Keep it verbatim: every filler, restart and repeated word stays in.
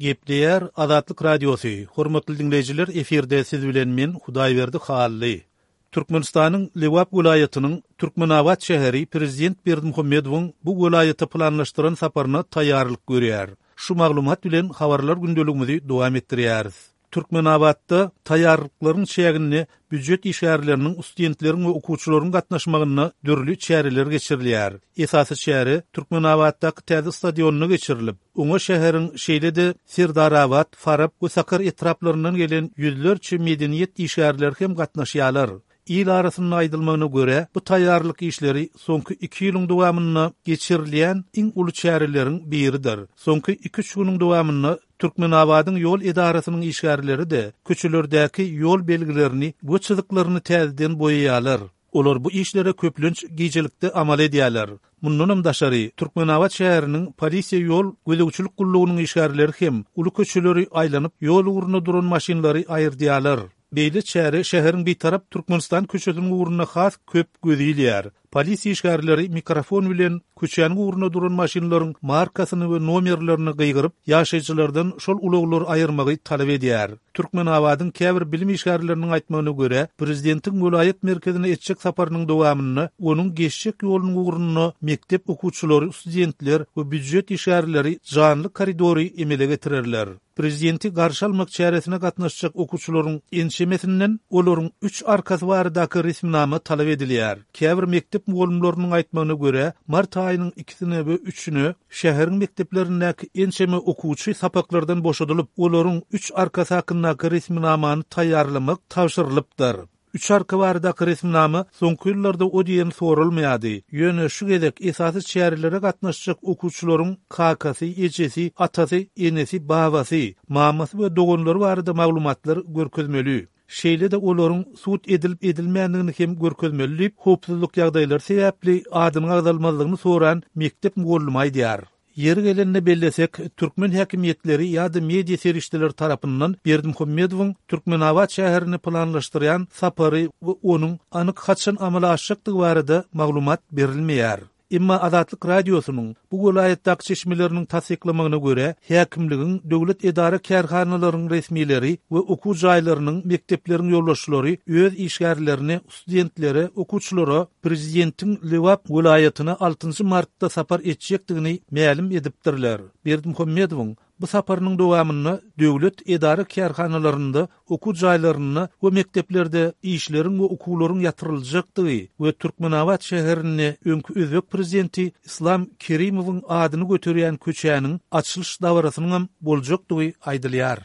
Gepleýär Azatlyk Radiosy, Hormatly diňleýjiler, efirde siz bilen men Hudaýberdi Hally. Türkmenistanyň Lebap welaýatynyň Türkmenabat şäheri prezident Berdimuhamedowyň bu welaýata planlaşdyran saparyna taýýarlyk görýär. Şu maglumat bilen habarlar gündeligimizi dowam etdirýäris. Türkmenabatda taýýarlyklaryň çäginde býujet işgärleriniň, studentleriň we okuwçylaryň gatnaşmagynda dürli çäreler geçirilýär. Esasy çäre Türkmenabatdaky täze stadionda geçirilip, oňa şäheriň şeýle-de Serdarabat, Farap we Sakar etraplaryndan gelen ýüzlerçe medeniýet işgärleri hem gatnaşýarlar. Il arasynda aýdylmagyna görä, bu taýýarlyk işleri soňky iki ýylyň dowamynda geçirilýän iň uly çäreleriň biridir. Soňky iki-üç günüň dowamynda Türkmenabadyň ýol edarasynyň işgärleri-de köçelerdäki ýol belgilerini we çyzyklaryny täzeden boýaýarlar. Olar bu işlere köplenç gijelikde amal edýärler. Mundanam daşary, Türkmenabat şäheriniň polisiýa ýol gözegçilik gullugynyň işgärleri hem uly köçeleri aýlanyp, ýol ugrunda duran maşynlary aýyrdýarlar. Beýle çäre şäheriň Bitarap Türkmenistan köçesiniň ugrunda has köp göz ilýär. Polisiýa işgärleri mikrofon bilen köçäniň ugrunda duran maşynlaryň markasyny we nomerlerini gygyryp, ýaşaýjylardan şol ulaglary aýyrmagy talap edýär. Türkmenabadyň käbir bilim işgärleriniň aýtmagyna görä, prezidentiň welaýat merkezine etjek saparynyň dowamynda onuň geçjek ýolunyň ugrunda mekdep okuwçylary, studentler we býujet işgärleri janly koridory emele getirerler. Prezidenti garşy almak çäresine gatnaşjak okuwçylaryň ençemesinden olaryň üç arkasy baradaky resminama talap edilýär. Käbir mekdep mugallymlarynyň aýtmagyna görä, mart aýynyň ikisine we üçüne şäheriň mekdeplerindäki ençeme okuwçy sapaklardan boşadylyp, olaryň üç arkasy hakyndaky resminamany taýýarlamak tabşyrylypdyr. Üç arka baradaky resminama soňky ýyllarda o diýen soralmaýardy. Ýöne şu gezek esasy çärelere gatnaşjak okuwçylaryň kakasy, ejesi, atasy, enesi, babasy, mamasy we doganlary barada maglumatlar görkezmeli. Şeýle-de olaryň sud edilip-edilmändigini hem görkezmeli diýip, howpsuzlyk ýagdaýlary sebäpli adynyň agzalmazlygyny soran mekdep mugallymy aýdýar. Ýeri gelende bellesek, türkmen häkimiýetleri ýa-da media serişdeleri tarapyndan Berdimuhamedowyň Türkmenabat şäherine planlaşdyrýan sapary we onuň anyk haçan amala aşjakdygy barada maglumat berilmeýär. Emma Azatlyk Radiosynyň bu welaýatdaky çeşmeleriniň tassyklamagyna görä, häkimligiň, döwlet edara-kärhanalaryň resmileri we okuw jaýlarynyň, mekdepleriň ýolbaşçylary öz işgärlerine, studentlere, okuwçylara prezidentiň Lebap welaýatyna altynjy martda sapar etjekdigini mälim edipdirler. Berdimuhamedowyň bu saparynyň dowamynda döwlet edara-kärhanalarynda, okuw jaýlarynda we mekdeplerde işleriň we okuwlaryň ýatyryljakdygy we Türkmenabat şäherinde öňki özbek prezidenti Islam Kerimowyň adyny göterýän köçäniň açylyş dabarasynyňam boljakdygy aýdylýar.